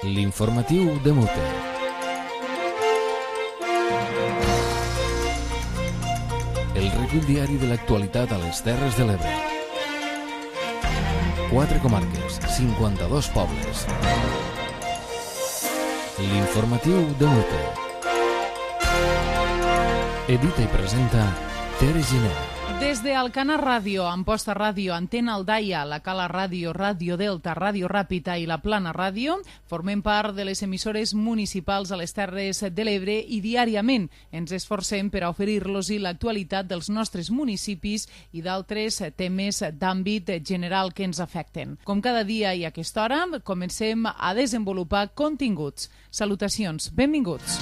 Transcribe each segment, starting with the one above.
L'informatiu de Mute. El recull diari de l'actualitat a les Terres de l'Ebre. 4 comarques, 52 pobles. L'informatiu de Mute. Edita i presenta Tere Giner. Des de Alcana Ràdio, Amposta Ràdio, Antena Aldaia, la Cala Ràdio, Ràdio Delta, Ràdio Ràpita i la Plana Ràdio, formem part de les emissores municipals a les Terres de l'Ebre i diàriament ens esforcem per a oferir-los l'actualitat dels nostres municipis i d'altres temes d'àmbit general que ens afecten. Com cada dia i a aquesta hora, comencem a desenvolupar continguts. Salutacions, benvinguts.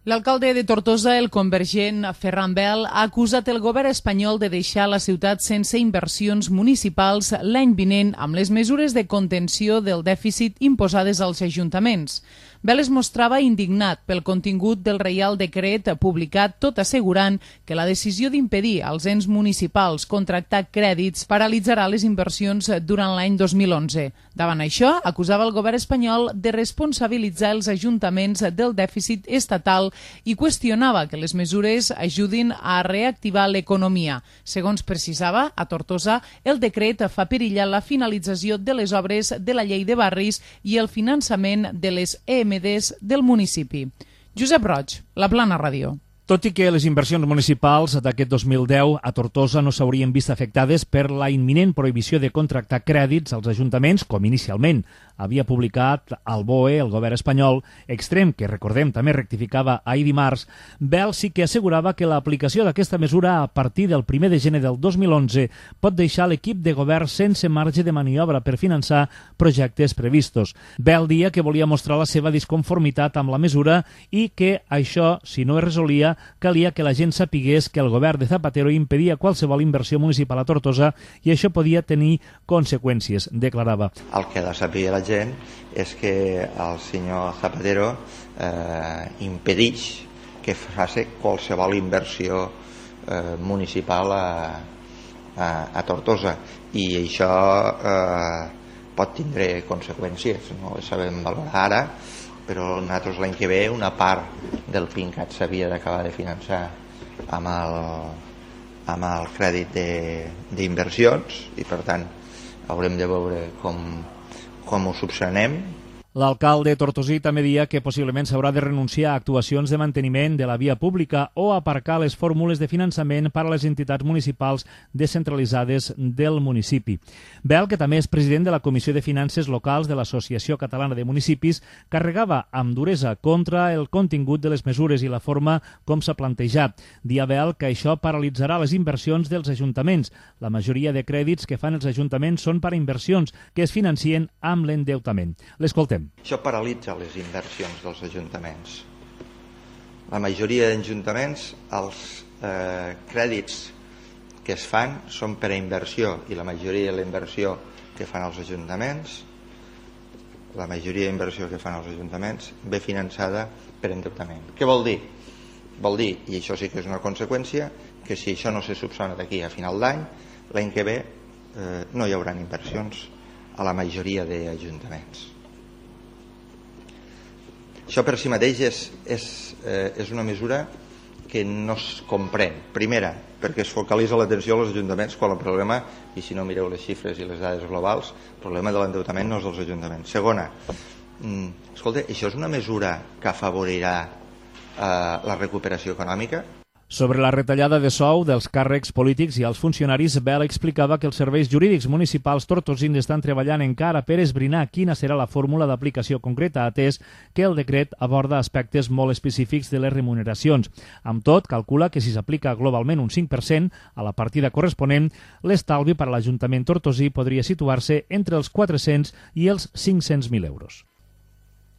L'alcalde de Tortosa, el convergent Ferran Bel, ha acusat el govern espanyol de deixar la ciutat sense inversions municipals l'any vinent amb les mesures de contenció del dèficit imposades als ajuntaments. Bel es mostrava indignat pel contingut del Reial Decret publicat, tot assegurant que la decisió d'impedir als ens municipals contractar crèdits paralitzarà les inversions durant l'any 2011. Davant això, acusava el govern espanyol de responsabilitzar els ajuntaments del dèficit estatal i qüestionava que les mesures ajudin a reactivar l'economia. Segons precisava, a Tortosa, el decret fa perillar la finalització de les obres de la llei de barris i el finançament de les EMDs del municipi. Josep Roig, la Plana Ràdio. Tot i que les inversions municipals d'aquest 2010 a Tortosa no s'haurien vist afectades per la imminent prohibició de contractar crèdits als ajuntaments, com inicialment havia publicat al BOE, el govern espanyol, extrem que, recordem, també rectificava ahir dimarts, Bel sí que assegurava que l'aplicació d'aquesta mesura a partir del 1 de gener del 2011 pot deixar l'equip de govern sense marge de maniobra per finançar projectes previstos. Bel dia que volia mostrar la seva disconformitat amb la mesura i que això, si no es resolia, calia que la gent sapigués que el govern de Zapatero impedia qualsevol inversió municipal a Tortosa i això podia tenir conseqüències, declarava. El que ha de saber la gent és que el senyor Zapatero impedeix que faci qualsevol inversió municipal a Tortosa i això pot tindre conseqüències, no ho sabem valorar ara, però nosaltres l'any que ve una part del PINCAT s'havia d'acabar de finançar amb el crèdit d'inversions i per tant haurem de veure com ho subsanem. L'alcalde tortosí també deia que possiblement s'haurà de renunciar a actuacions de manteniment de la via pública o aparcar les fórmules de finançament per a les entitats municipals descentralitzades del municipi. Bel, que també és president de la Comissió de Finances Locals de l'Associació Catalana de Municipis, carregava amb duresa contra el contingut de les mesures i la forma com s'ha plantejat. Dia Bel que això paralitzarà les inversions dels ajuntaments. La majoria de crèdits que fan els ajuntaments són per a inversions que es financien amb l'endeutament. L'escoltem. Això paralitza les inversions dels ajuntaments. La majoria d'ajuntaments, els crèdits que es fan són per a inversió i la majoria de la inversió que fan els ajuntaments, ve finançada per endeutament. Què vol dir? Vol dir, i això sí que és una conseqüència, que si això no se subsana d'aquí a final d'any, l'any que ve no hi haurà inversions a la majoria d'ajuntaments. Això per si mateix és una mesura que no es comprèn. Primera, perquè es focalitza l'atenció als ajuntaments quan el problema, i si no mireu les xifres i les dades globals, el problema de l'endeutament no és dels ajuntaments. Segona, escolta, això és una mesura que afavorirà la recuperació econòmica? Sobre la retallada de sou dels càrrecs polítics i els funcionaris, Bel explicava que els serveis jurídics municipals tortosins estan treballant encara per esbrinar quina serà la fórmula d'aplicació concreta, atès que el decret aborda aspectes molt específics de les remuneracions. Amb tot, calcula que si s'aplica globalment un 5% a la partida corresponent, l'estalvi per a l'Ajuntament tortosí podria situar-se entre els 400 i els 500.000 euros.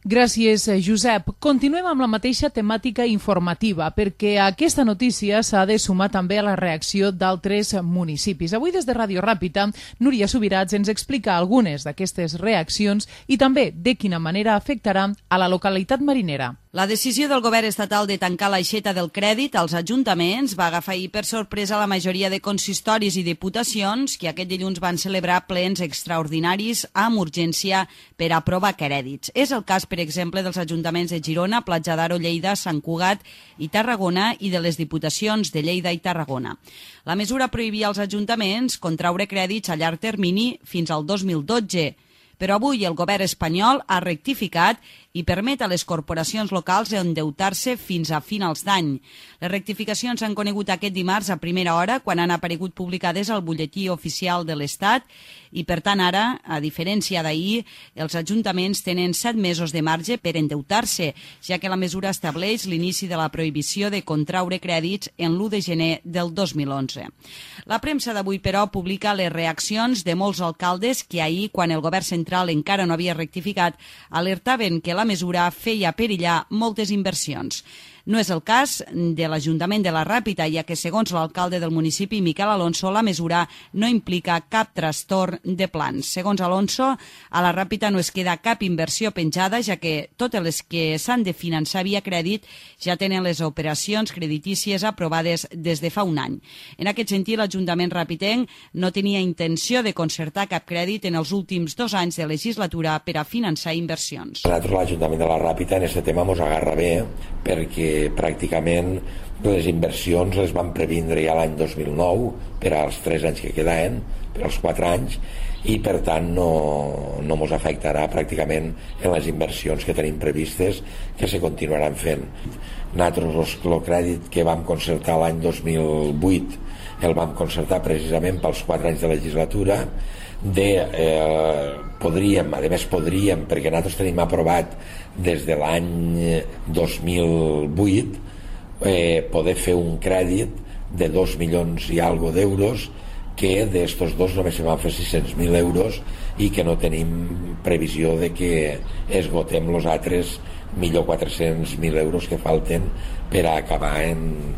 Gràcies, Josep. Continuem amb la mateixa temàtica informativa, perquè aquesta notícia s'ha de sumar també a la reacció d'altres municipis. Avui, des de Ràdio Ràpita, Núria Subirats ens explica algunes d'aquestes reaccions i també de quina manera afectarà a la localitat marinera. La decisió del govern estatal de tancar l'aixeta del crèdit als ajuntaments va agafar ahir per sorpresa la majoria de consistoris i diputacions que aquest dilluns van celebrar plens extraordinaris amb urgència per aprovar crèdits. És el cas, per exemple, dels ajuntaments de Girona, Platja d'Aro, Lleida, Sant Cugat i Tarragona i de les diputacions de Lleida i Tarragona. La mesura prohibia als ajuntaments contraure crèdits a llarg termini fins al 2012, però avui el govern espanyol ha rectificat i permet a les corporacions locals endeutar-se fins a finals d'any. Les rectificacions s'han conegut aquest dimarts a primera hora, quan han aparegut publicades al butlletí oficial de l'Estat, i per tant ara, a diferència d'ahir, els ajuntaments tenen 7 mesos de marge per endeutar-se, ja que la mesura estableix l'inici de la prohibició de contraure crèdits en l'1 de gener del 2011. La premsa d'avui, però, publica les reaccions de molts alcaldes que ahir, quan el govern central encara no havia rectificat, alertaven que la mesura feia perillar moltes inversions. No és el cas de l'Ajuntament de la Ràpita, ja que, segons l'alcalde del municipi, Miquel Alonso, la mesura no implica cap trastorn de plans. Segons Alonso, a la Ràpita no es queda cap inversió penjada, ja que totes les que s'han de finançar via crèdit ja tenen les operacions creditícies aprovades des de fa un any. En aquest sentit, l'Ajuntament ràpitenc no tenia intenció de concertar cap crèdit en els últims 2 anys de legislatura per a finançar inversions. Nosaltres, l'Ajuntament de la Ràpita, en aquest tema ens agarra bé, perquè pràcticament les inversions les van previndre ja l'any 2009 per als 3 anys que quedaven, per als 4 anys, i per tant no ens afectarà pràcticament en les inversions que tenim previstes, que se continuaran fent. Nosaltres el crèdit que vam concertar l'any 2008 el vam concertar precisament pels 4 anys de legislatura. Podríem, perquè nosaltres tenim aprovat des de l'any 2008 poder fer un crèdit de 2 milions i algo d'euros, que d'estos dos només se van fer 600.000 euros i que no tenim previsió de que esgotem els altres millor 400.000 euros que falten per a acabar en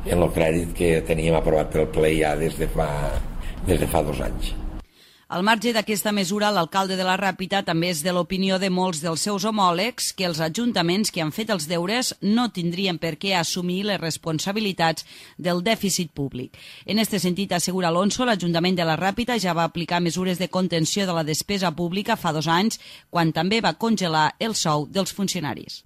el crèdit que teníem aprovat pel ple ja des de fa 2 anys. Al marge d'aquesta mesura, l'alcalde de la Ràpita també és de l'opinió de molts dels seus homòlegs que els ajuntaments que han fet els deures no tindrien per què assumir les responsabilitats del dèficit públic. En aquest sentit, assegura Alonso, l'Ajuntament de la Ràpita ja va aplicar mesures de contenció de la despesa pública fa 2 anys, quan també va congelar el sou dels funcionaris.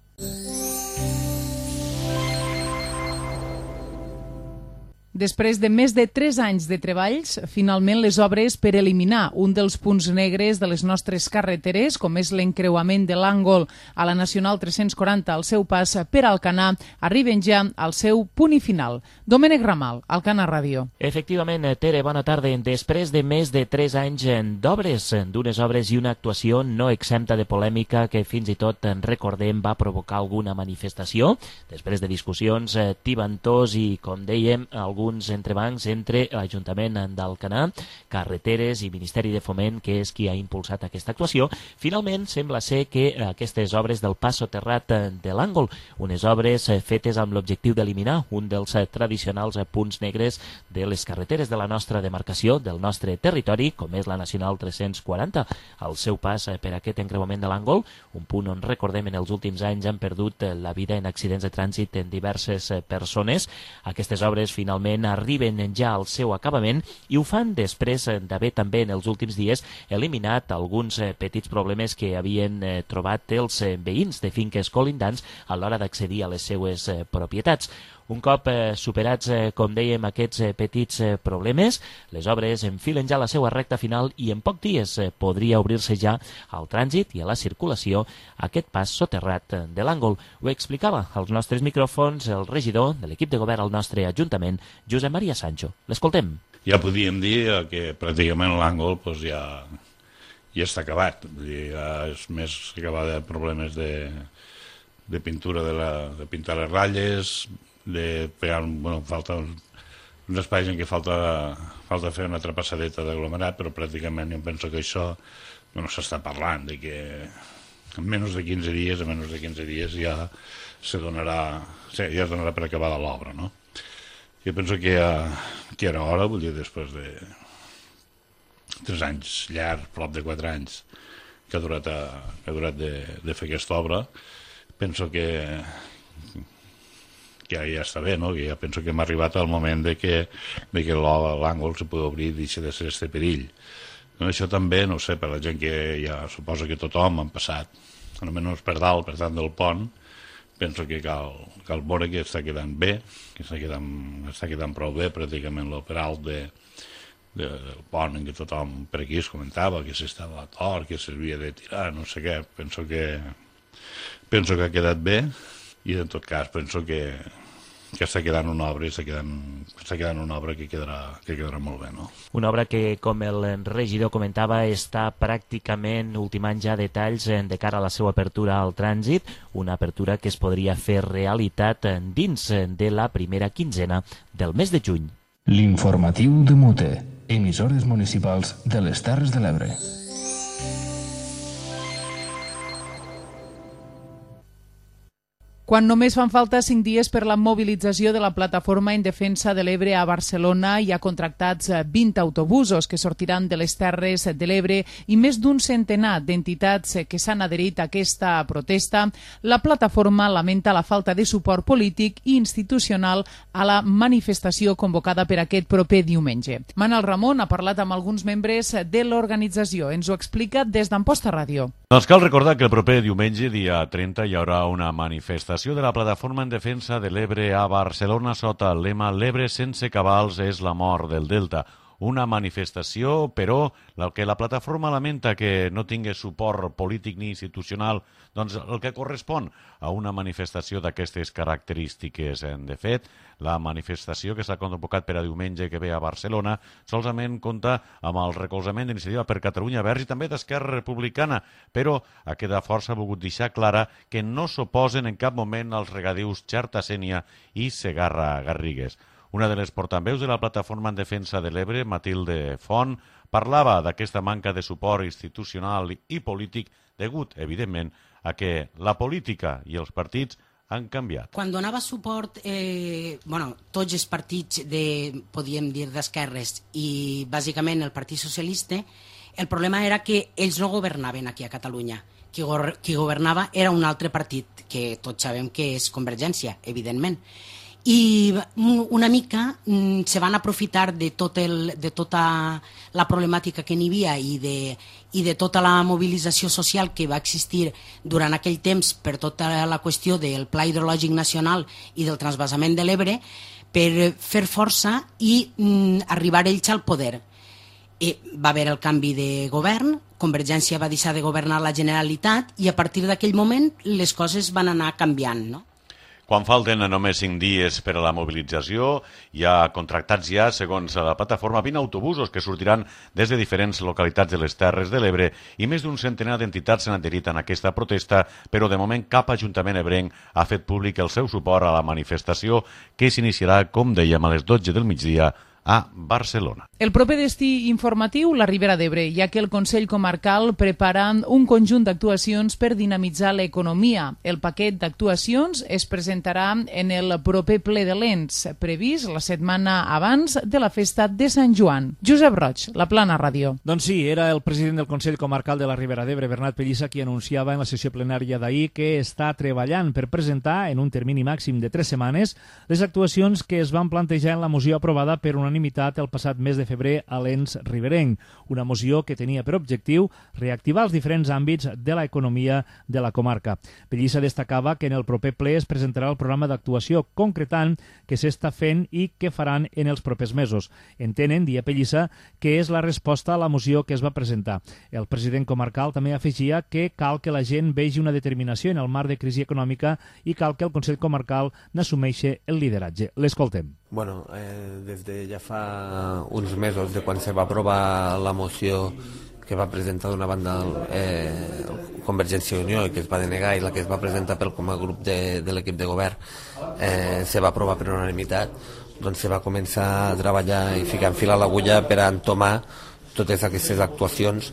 Després de més de 3 anys de treballs, finalment les obres per eliminar un dels punts negres de les nostres carreteres, com és l'encreuament de l'Àngol a la Nacional 340 al seu pas per Alcanar, arriben ja al seu punt i final. Domènec Ramal, Alcanar Ràdio. Efectivament, Tere, bona tarda. Després de més de 3 anys d'obres, d'unes obres i una actuació no exempta de polèmica que fins i tot, recordem, va provocar alguna manifestació, després de discussions tibantors i, com dèiem, alguns entrebancs entre l'Ajuntament d'Alcanar, Carreteres i Ministeri de Foment, que és qui ha impulsat aquesta actuació, finalment sembla ser que aquestes obres del pas soterrat de l'Àngol, unes obres fetes amb l'objectiu d'eliminar un dels tradicionals punts negres de les carreteres de la nostra demarcació, del nostre territori, com és la Nacional 340, al seu pas per aquest encreuament de l'Àngol, un punt on, recordem, en els últims anys han perdut la vida en accidents de trànsit en diverses persones. Aquestes obres finalment arriben ja al seu acabament i ho fan després d'haver també en els últims dies eliminat alguns petits problemes que havien trobat els veïns de finques colindants a l'hora d'accedir a les seues propietats. Un cop superats, com dèiem, aquests petits problemes, les obres enfilen ja la seva recta final i en pocs dies podria obrir-se ja al trànsit i a la circulació aquest pas soterrat de l'Àngol. Ho explicava als nostres micròfons el regidor de l'equip de govern al nostre Ajuntament, Josep Maria Sancho. L'escoltem. Ja podíem dir que pràcticament l'Àngol ja està acabat. Ja és més acabar de problemes de pintura, de pintar les ratlles, de pegar, falta uns espais en què falta fer una trapassadeta d'aglomerat, però pràcticament jo penso que això s'està parlant, de que en menys de 15 dies ja es donarà per acabada l'obra, no? Jo penso que era hora, vull dir, després de 3 anys llargs, prop de 4 anys, que ha durat de fer aquesta obra, penso que ja està bé, no? Que ja penso que hem arribat al moment de que l'àngol se pugui obrir i deixi de ser este perill. No, això també, no sé, per la gent que ja suposa que tothom han passat, almenys per dalt, per tant del pont, penso que cal veure que està quedant bé, que està quedant prou bé, pràcticament el per alt del pont en què tothom per aquí es comentava que s'estava a tort, que s'havia de tirar, no sé què. Penso que ha quedat bé i en tot cas penso que està quedant una obra que quedarà molt bé, no? Una obra que, com el regidor comentava, està pràcticament ultimant ja detalls de cara a la seva apertura al trànsit, una apertura que es podria fer realitat dins de la primera quinzena del mes de juny. L'informatiu de Mute, emissores municipals de les Terres de l'Ebre. Quan només fan falta 5 dies per la mobilització de la Plataforma en Defensa de l'Ebre a Barcelona, hi ha contractats 20 autobusos que sortiran de les Terres de l'Ebre i més d'un centenar d'entitats que s'han adherit a aquesta protesta. La plataforma lamenta la falta de suport polític i institucional a la manifestació convocada per aquest proper diumenge. Manel Ramon ha parlat amb alguns membres de l'organització. Ens ho explica des d'Amposta Ràdio. Doncs cal recordar que el proper diumenge, dia 30, hi haurà una manifestació de la Plataforma en Defensa de l'Ebre a Barcelona sota el lema «L'Ebre sense cabals és la mort del Delta». Una manifestació, però, que la plataforma lamenta que no tingui suport polític ni institucional, doncs el que correspon a una manifestació d'aquestes característiques. De fet, la manifestació que s'ha convocat per a diumenge que ve a Barcelona solament compta amb el recolzament d'Iniciativa per Catalunya Verds i també d'Esquerra Republicana, però aquesta força ha volgut deixar clara que no s'oposen en cap moment als regadius Xerta-Sénia i Segarra-Garrigues. Una de les portaveus de la Plataforma en Defensa de l'Ebre, Matilde Font, parlava d'aquesta manca de suport institucional i polític degut, evidentment, a que la política i els partits han canviat. Quan donava suport tots els partits, podríem dir, d'esquerres i bàsicament el Partit Socialista, el problema era que ells no governaven aquí a Catalunya. Qui governava era un altre partit, que tots sabem que és Convergència, evidentment. I una mica se van aprofitar de tota la problemàtica que n'hi havia i de tota la mobilització social que va existir durant aquell temps per tota la qüestió del Pla Hidrològic Nacional i del transvasament de l'Ebre per fer força i arribar ells al poder. Va haver el canvi de govern, Convergència va deixar de governar la Generalitat i a partir d'aquell moment les coses van anar canviant, no? Quan falten només 5 dies per a la mobilització, hi ha contractats ja, segons la plataforma, 20 autobusos que sortiran des de diferents localitats de les Terres de l'Ebre i més d'un centenar d'entitats s'han adherit en aquesta protesta, però de moment cap ajuntament ebrenc ha fet públic el seu suport a la manifestació que s'iniciarà, com dèiem, a les 12 del migdia a Barcelona. El proper destí informatiu, la Ribera d'Ebre, ja que el Consell Comarcal prepara un conjunt d'actuacions per dinamitzar l'economia. El paquet d'actuacions es presentarà en el proper ple de l'ENS, previst la setmana abans de la festa de Sant Joan. Josep Roig, La Plana Ràdio. Doncs sí, era el president del Consell Comarcal de la Ribera d'Ebre, Bernat Pellissa, qui anunciava en la sessió plenària d'ahir que està treballant per presentar, en un termini màxim de 3 setmanes, les actuacions que es van plantejar en la moció aprovada per unanimitat el passat mes de febrer a l'ENS riberenc, una moció que tenia per objectiu reactivar els diferents àmbits de l'economia de la comarca. Pellissa destacava que en el proper ple es presentarà el programa d'actuació concretant que s'està fent i que faran en els propers mesos. Entenen, dia Pellissa, que és la resposta a la moció que es va presentar. El president comarcal també afegia que cal que la gent vegi una determinació en el marc de crisi econòmica i cal que el Consell Comarcal n'assumeixi el lideratge. L'escoltem. Bueno, des de ja fa uns mesos de quan se va aprovar la moció que va presentar d'una banda Convergència i Unió i que es va denegar i la que es va presentar com a grup de l'equip de govern se va aprovar per unanimitat, doncs se va començar a treballar i ficar en fil a l'agulla per a entomar totes aquestes actuacions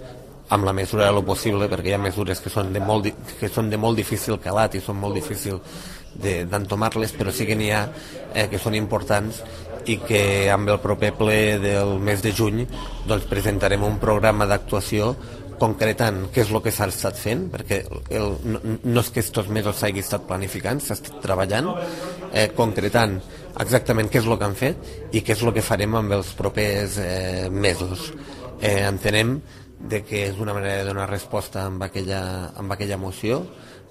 amb la mesura de lo possible, perquè hi ha mesures que són de molt difícil calat i són molt difícil d'entomar-les, però sí que n'hi ha que són importants i que amb el proper ple del mes de juny doncs presentarem un programa d'actuació concretant què és el que s'ha estat fent, perquè no és que aquests mesos s'hagi estat planificant, s'ha estat treballant, concretant exactament què és el que han fet i què és el que farem amb els propers mesos. Entenem que és una manera de donar resposta amb aquella moció,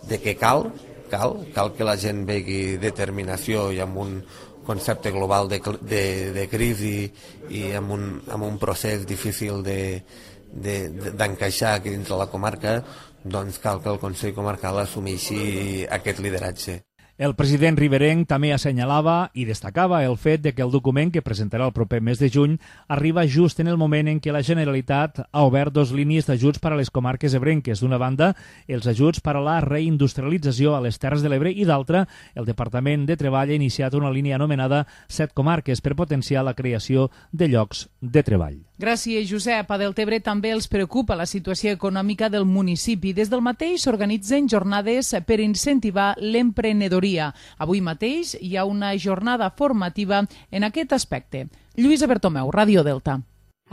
de que cal que la gent vegi determinació i amb un concepte global de crisi i amb un procés difícil d'encaixar aquí dins de la comarca, doncs cal que el Consell Comarcal assumeixi aquest lideratge. El president riberenc també assenyalava i destacava el fet de que el document que presentarà el proper mes de juny arriba just en el moment en què la Generalitat ha obert 2 línies d'ajuts per a les comarques ebrenques. D'una banda, els ajuts per a la reindustrialització a les Terres de l'Ebre i d'altra, el Departament de Treball ha iniciat una línia anomenada 7 comarques per potenciar la creació de llocs de treball. Gràcies, Josep. A Deltebre també els preocupa la situació econòmica del municipi. Des del mateix s'organitzen jornades per incentivar l'emprenedoria. Avui mateix hi ha una jornada formativa en aquest aspecte. Lluïsa Bertomeu, Ràdio Delta.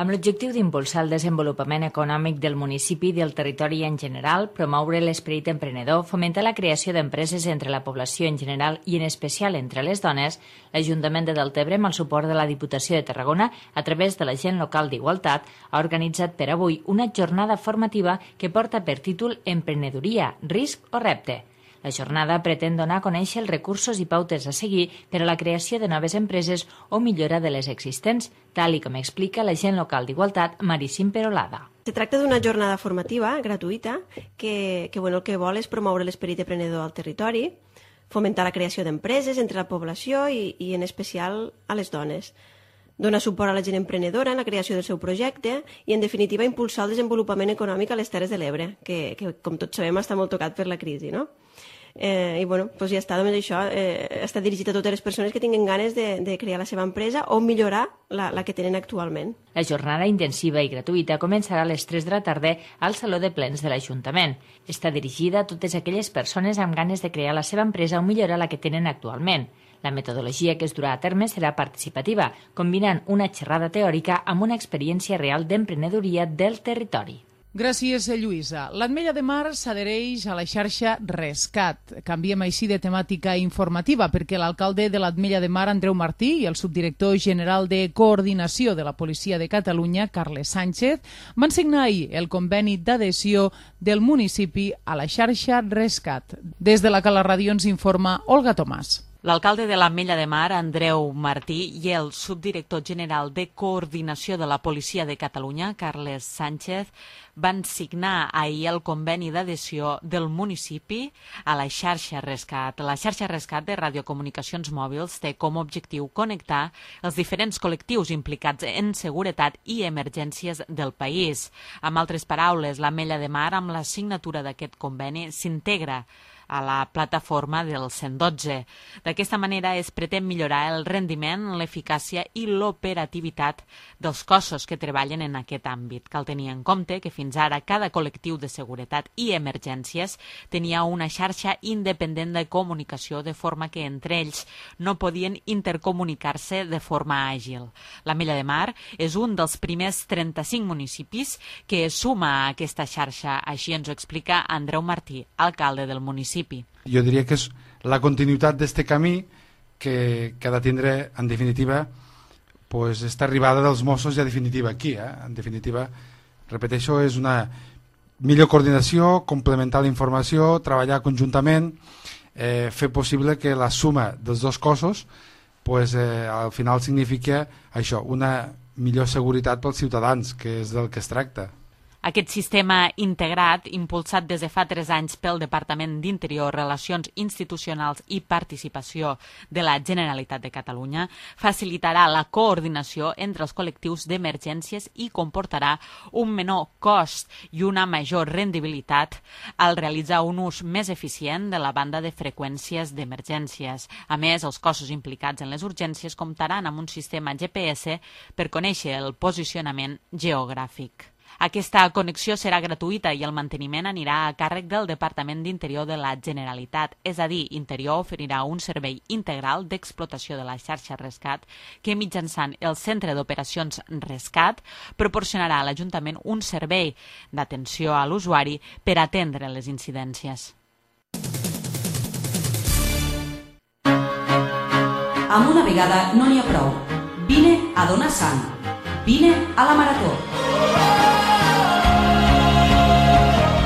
Amb l'objectiu d'impulsar el desenvolupament econòmic del municipi i del territori en general, promoure l'esperit emprenedor, fomentar la creació d'empreses entre la població en general i en especial entre les dones, l'Ajuntament de Deltebre, amb el suport de la Diputació de Tarragona, a través de l'Agent Local d'Igualtat, ha organitzat per avui una jornada formativa que porta per títol Emprenedoria, risc o repte. La jornada pretén donar a conèixer els recursos i pautes a seguir per a la creació de noves empreses o millora de les existents, tal com explica l'agent local d'Igualtat, Maricín Perolada. Se tracta d'una jornada formativa gratuïta que el que vol és promoure l'esperit emprenedor al territori, fomentar la creació d'empreses entre la població i en especial a les dones. Donar suport a la gent emprenedora en la creació del seu projecte i, en definitiva, impulsar el desenvolupament econòmic a les Terres de l'Ebre, que com tots sabem, està molt tocat per la crisi, no? I ja està, només això està dirigit a totes les persones que tinguin ganes de crear la seva empresa o millorar la que tenen actualment. La jornada intensiva i gratuïta començarà a les 3 de la tarda al Saló de Plens de l'Ajuntament. Està dirigida a totes aquelles persones amb ganes de crear la seva empresa o millorar la que tenen actualment. La metodologia que es durà a terme serà participativa, combinant una xerrada teòrica amb una experiència real d'emprenedoria del territori. Gràcies, Lluïsa. L'Ametlla de Mar s'adhereix a la xarxa Rescat. Canviem així de temàtica informativa perquè l'alcalde de l'Ametlla de Mar, Andreu Martí, i el subdirector general de Coordinació de la Policia de Catalunya, Carles Sánchez, van signar ahir el conveni d'adhesió del municipi a la xarxa Rescat. Des de la Cala Ràdio ens informa Olga Tomàs. L'alcalde de l'Ametlla de Mar, Andreu Martí, i el subdirector general de Coordinació de la Policia de Catalunya, Carles Sánchez, van signar ahir el conveni d'adhesió del municipi a la xarxa Rescat. La xarxa Rescat de radiocomunicacions mòbils té com a objectiu connectar els diferents col·lectius implicats en seguretat i emergències del país. Amb altres paraules, l'Ametlla de Mar, amb la signatura d'aquest conveni, s'integra a la plataforma del 112. D'aquesta manera es pretén millorar el rendiment, l'eficàcia i l'operativitat dels cossos que treballen en aquest àmbit. Cal tenir en compte que fins ara cada col·lectiu de seguretat i emergències tenia una xarxa independent de comunicació, de forma que entre ells no podien intercomunicar-se de forma àgil. L'Ametlla de Mar és un dels primers 35 municipis que es suma a aquesta xarxa, així ens ho explica Andreu Martí, alcalde del municipi. Jo diria que és la continuïtat d'aquest camí que ha de tindre, en definitiva, esta arribada dels Mossos ja definitiva aquí. En definitiva, repeteixo, és una millor coordinació, complementar la informació, treballar conjuntament, fer possible que la suma dels dos cossos al final significa això, una millor seguretat pels ciutadans, que és del que es tracta. Aquest sistema integrat, impulsat des de fa 3 anys pel Departament d'Interior, Relacions Institucionals i Participació de la Generalitat de Catalunya, facilitarà la coordinació entre els col·lectius d'emergències i comportarà un menor cost i una major rendibilitat al realitzar un ús més eficient de la banda de freqüències d'emergències. A més, els cossos implicats en les urgències comptaran amb un sistema GPS per conèixer el posicionament geogràfic. Aquesta connexió serà gratuïta i el manteniment anirà a càrrec del Departament d'Interior de la Generalitat, és a dir, Interior oferirà un servei integral d'explotació de la xarxa Rescat que mitjançant el Centre d'Operacions Rescat proporcionarà a l'Ajuntament un servei d'atenció a l'usuari per atendre les incidències. Amb una vegada no n'hi ha prou. Vine a donar sang. Vine a la Marató.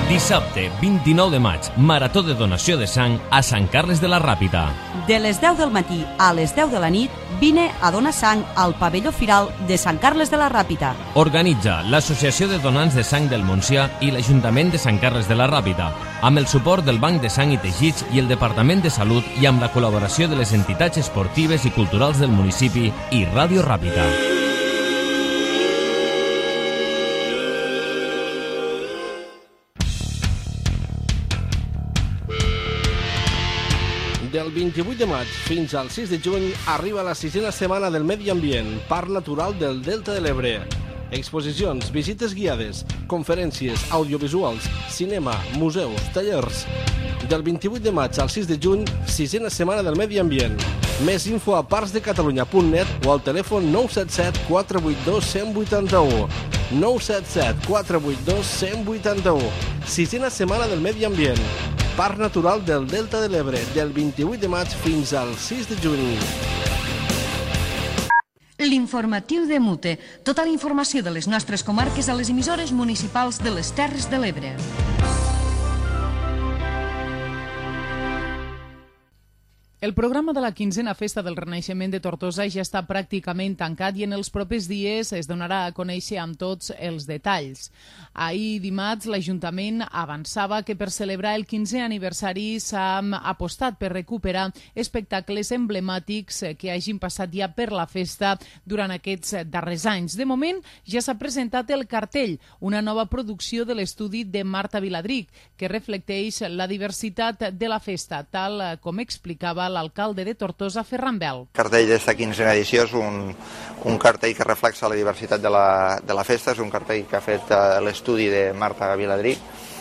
Dissabte, 29 de maig, Marató de donació de sang a Sant Carles de la Ràpita. De les 10 del matí a les 10 de la nit, vine a donar sang al pavelló firal de Sant Carles de la Ràpita. Organitza l'Associació de Donants de Sang del Montsià i l'Ajuntament de Sant Carles de la Ràpita, amb el suport del Banc de Sang i Teixits i el Departament de Salut i amb la col·laboració de les entitats esportives i culturals del municipi i Ràdio Ràpita. Del 28 de maig fins al 6 de juny arriba la 6a setmana del Medi Ambient, Parc Natural del Delta de l'Ebre. Exposicions, visites guiades, conferències, audiovisuals, cinema, museus, tallers. Del 28 de maig al 6 de juny, 6a setmana del Medi Ambient. Més info a parcsdecatalunya.net o al telèfon 977 482 181. 977 482 181. 6a setmana del Medi Ambient. Parc Natural del Delta de l'Ebre, del 28 de maig fins al 6 de juny. L'informatiu de Mute. Tota la informació de les nostres comarques a les emissores municipals de les Terres de l'Ebre. El programa de la 15a Festa del Renaixement de Tortosa ja està pràcticament tancat i en els propers dies es donarà a conèixer amb tots els detalls. Ahir dimarts l'Ajuntament avançava que per celebrar el 15è aniversari s'ha apostat per recuperar espectacles emblemàtics que hagin passat ja per la festa durant aquests darrers anys. De moment ja s'ha presentat el cartell, una nova producció de l'estudi de Marta Viladric, que reflecteix la diversitat de la festa, tal com explicava l'alcalde de Tortosa, Ferran Bel. El cartell d'esta 15a edició és un cartell que reflexa la diversitat de la festa, és un cartell que ha fet l'estudi de Marta Viladric,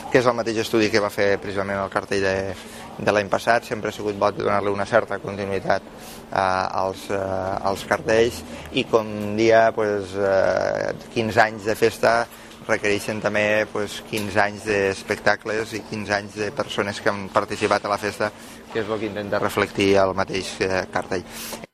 que és el mateix estudi que va fer precisament el cartell de l'any passat. Sempre ha sigut bo donar-li una certa continuïtat als cartells i com dia 15 anys de festa requereixen també 15 anys d'espectacles i 15 anys de persones que han participat a la festa, que és el que intenta reflectir el mateix cartell.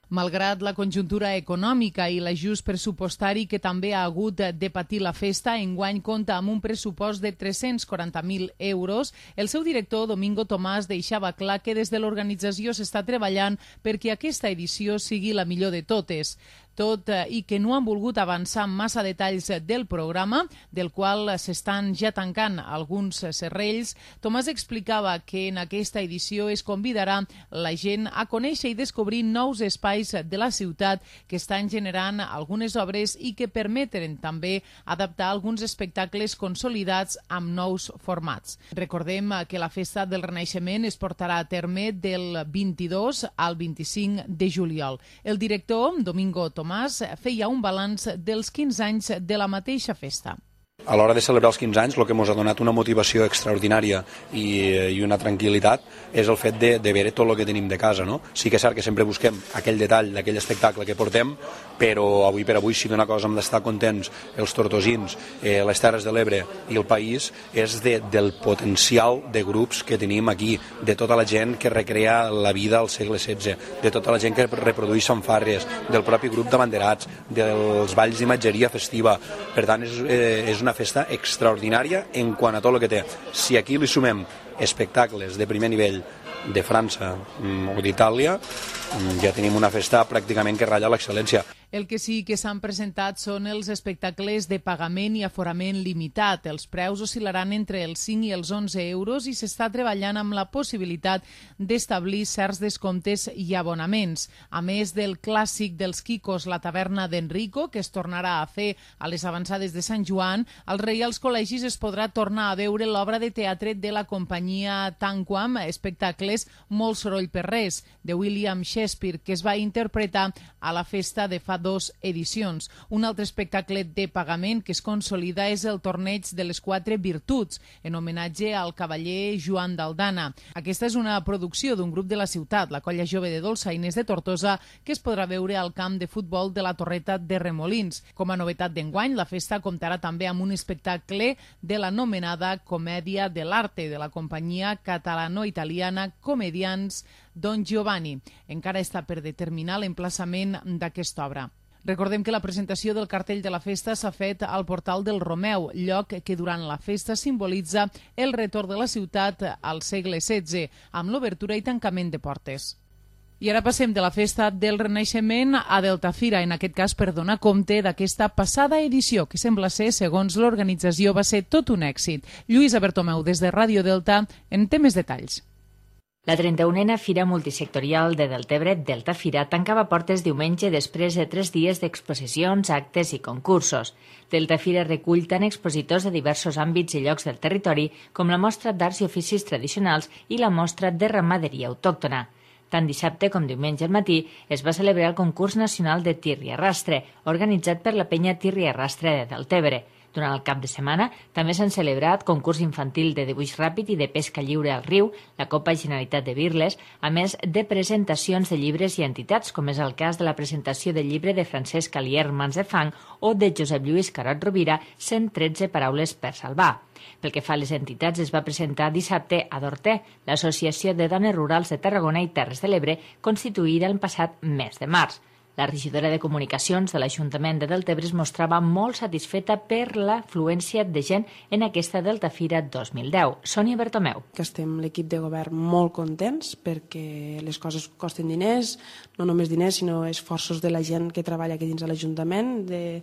Malgrat la conjuntura econòmica i l'ajust pressupostari que també ha hagut de patir la festa, enguany compta amb un pressupost de 340.000 euros. El seu director, Domingo Tomàs, deixava clar que des de l'organització s'està treballant perquè aquesta edició sigui la millor de totes. Tot i que no han volgut avançar massa detalls del programa, del qual s'estan ja tancant alguns serrells, Tomàs explicava que en aquesta edició es convidarà la gent a conèixer i descobrir nous espais de la ciutat que estan generant algunes obres i que permeten també adaptar alguns espectacles consolidats amb nous formats. Recordem que la Festa del Renaixement es portarà a terme del 22 al 25 de juliol. El director, Domingo Tomàs, feia un balanç dels 15 anys de la mateixa festa. A l'hora de celebrar els 15 anys, el que ens ha donat una motivació extraordinària i una tranquil·litat és el fet de veure tot el que tenim de casa, no? Sí que és cert que sempre busquem aquell detall d'aquell espectacle que portem, però avui per avui, si d'una cosa hem d'estar contents els tortosins, les Terres de l'Ebre i el país, és del potencial de grups que tenim aquí, de tota la gent que recrea la vida al segle XVI, de tota la gent que reprodueix fanfarres, del propi grup d'abanderats, dels balls d'imatgeria festiva. Per tant, és una festa extraordinària en quant a tot el que té. Si aquí li sumem espectacles de primer nivell de França o d'Itàlia, ja tenim una festa pràcticament que ratlla l'excel·lència. El que sí que s'han presentat són els espectacles de pagament i aforament limitat. Els preus oscil·laran entre els 5 i els 11 euros i s'està treballant amb la possibilitat d'establir certs descomptes i abonaments. A més del clàssic dels Quicos, la taverna d'Enrico, que es tornarà a fer a les avançades de Sant Joan, als Reials Col·legis es podrà tornar a veure l'obra de teatre de la companyia Tanquam, espectacles Molt soroll per res, de William Shakespeare, que es va interpretar a la festa de fa 2 edicions. Un altre espectacle de pagament que es consolida és el torneig de les 4 virtuts, en homenatge al cavaller Joan d'Aldana. Aquesta és una producció d'un grup de la ciutat, la Colla Jove de Dolçainers de Tortosa, que es podrà veure al camp de futbol de la Torreta de Remolins. Com a novetat d'enguany, la festa comptarà també amb un espectacle de l'anomenada Comèdia de l'Arte de la companyia catalano-italiana Comedians Don Giovanni. Encara està per determinar l'emplaçament d'aquesta obra. Recordem que la presentació del cartell de la festa s'ha fet al Portal del Romeu, lloc que durant la festa simbolitza el retorn de la ciutat al segle XVI, amb l'obertura i tancament de portes. I ara passem de la festa del Renaixement a Deltafira, en aquest cas per donar compte d'aquesta passada edició, que sembla ser, segons l'organització, va ser tot un èxit. Lluïsa Bertomeu, des de Ràdio Delta, en té més detalls. La 31a Fira Multisectorial de Deltebre, Deltafira, tancava portes diumenge després de 3 dies d'exposicions, actes i concursos. Deltafira recull tant expositors de diversos àmbits i llocs del territori com la mostra d'arts i oficis tradicionals i la mostra de ramaderia autòctona. Tant dissabte com diumenge al matí es va celebrar el concurs nacional de tir i arrastre, organitzat per la penya Tir i Arrastre de Deltebre. Durant el cap de setmana també s'han celebrat concurs infantil de dibuix ràpid i de pesca lliure al riu, la Copa Generalitat de Birles, a més de presentacions de llibres i entitats, com és el cas de la presentació del llibre de Francesc Alier Mans de Fang o de Josep Lluís Carot Rovira, 113 paraules per salvar. Pel que fa a les entitats, es va presentar dissabte a Dorter, l'Associació de Dones Rurals de Tarragona i Terres de l'Ebre, constituïda el passat mes de març. La regidora de Comunicacions de l'Ajuntament de Deltebre es mostrava molt satisfeta per l'afluència de gent en aquesta Deltafira 2010. Sònia Bertomeu. Que estem l'equip de govern molt contents perquè les coses costen diners, no només diners, sinó esforços de la gent que treballa aquí dins de l'Ajuntament, de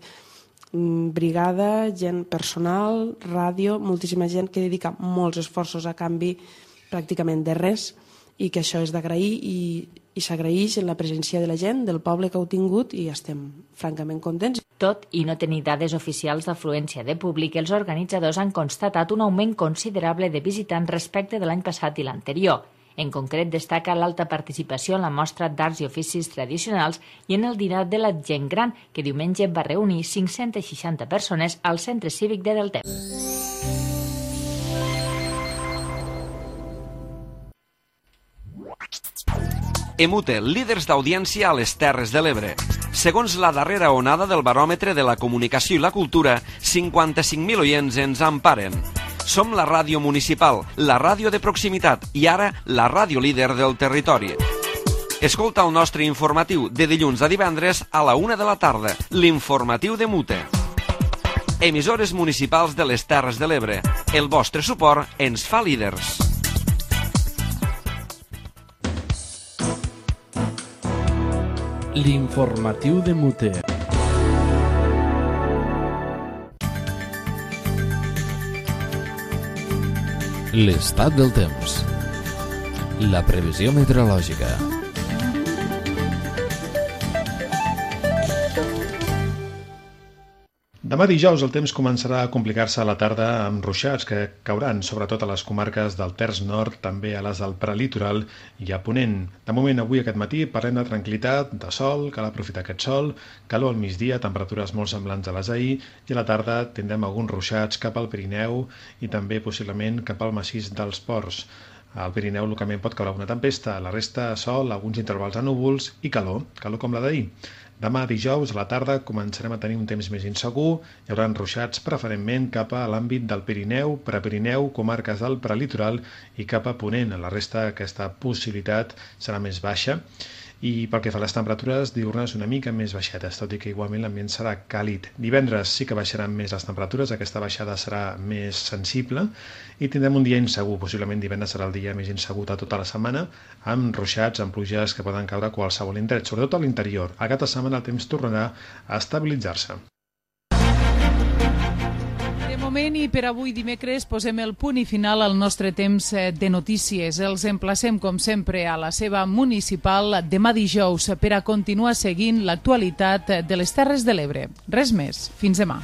brigada, gent personal, ràdio, moltíssima gent que dedica molts esforços a canvi pràcticament de res i que això és d'agrair i s'agraeix en la presència de la gent, del poble que heu tingut i estem francament contents. Tot i no tenir dades oficials d'afluència de públic, els organitzadors han constatat un augment considerable de visitants respecte de l'any passat i l'anterior. En concret, destaca l'alta participació en la mostra d'arts i oficis tradicionals i en el dinar de la gent gran, que diumenge va reunir 560 persones al Centre Cívic de Deltebre. Emute, líders d'audiència a les Terres de l'Ebre. Segons la darrera onada del baròmetre de la comunicació i la cultura, 55.000 oients ens emparen. Som la ràdio municipal, la ràdio de proximitat i ara la ràdio líder del territori. Escolta el nostre informatiu de dilluns a divendres a la 1 de la tarda, l'informatiu de Mute. Emissores municipals de les Terres de l'Ebre. El vostre suport ens fa líders. L'informatiu de Mute. L'estat del temps. La previsió meteorològica. Demà dijous el temps començarà a complicar-se a la tarda amb ruixats que cauran sobretot a les comarques del Terç Nord, també a les del prelitoral i a Ponent. De moment, avui aquest matí parlem de tranquil·litat, de sol, cal aprofitar aquest sol, calor al migdia, temperatures molt semblants a les d'ahir i a la tarda tindrem alguns ruixats cap al Pirineu i també possiblement cap al massís dels Ports. Al Pirineu localment pot caure una tempesta, a la resta sol, alguns intervals de núvols i calor com la d'ahir. Demà dijous a la tarda començarem a tenir un temps més insegur, hi haurà ruixats preferentment cap a l'àmbit del Pirineu, Prepirineu, comarques del prelitoral i cap a Ponent. A la resta aquesta possibilitat serà més baixa i pel que fa a les temperatures diurnes una mica més baixetes, tot i que igualment l'ambient serà càlid. Divendres sí que baixaran més les temperatures, aquesta baixada serà més sensible i tindrem un dia insegur, possiblement divendres serà el dia més insegur de tota la setmana, amb ruixats, amb pluges que poden caure a qualsevol indret, sobretot a l'interior. A cap de setmana el temps tornarà a estabilitzar-se. De moment i per avui dimecres posem el punt i final al nostre temps de notícies. Els emplacem com sempre a la seva municipal demà dijous per a continuar seguint l'actualitat de les Terres de l'Ebre. Res més. Fins demà.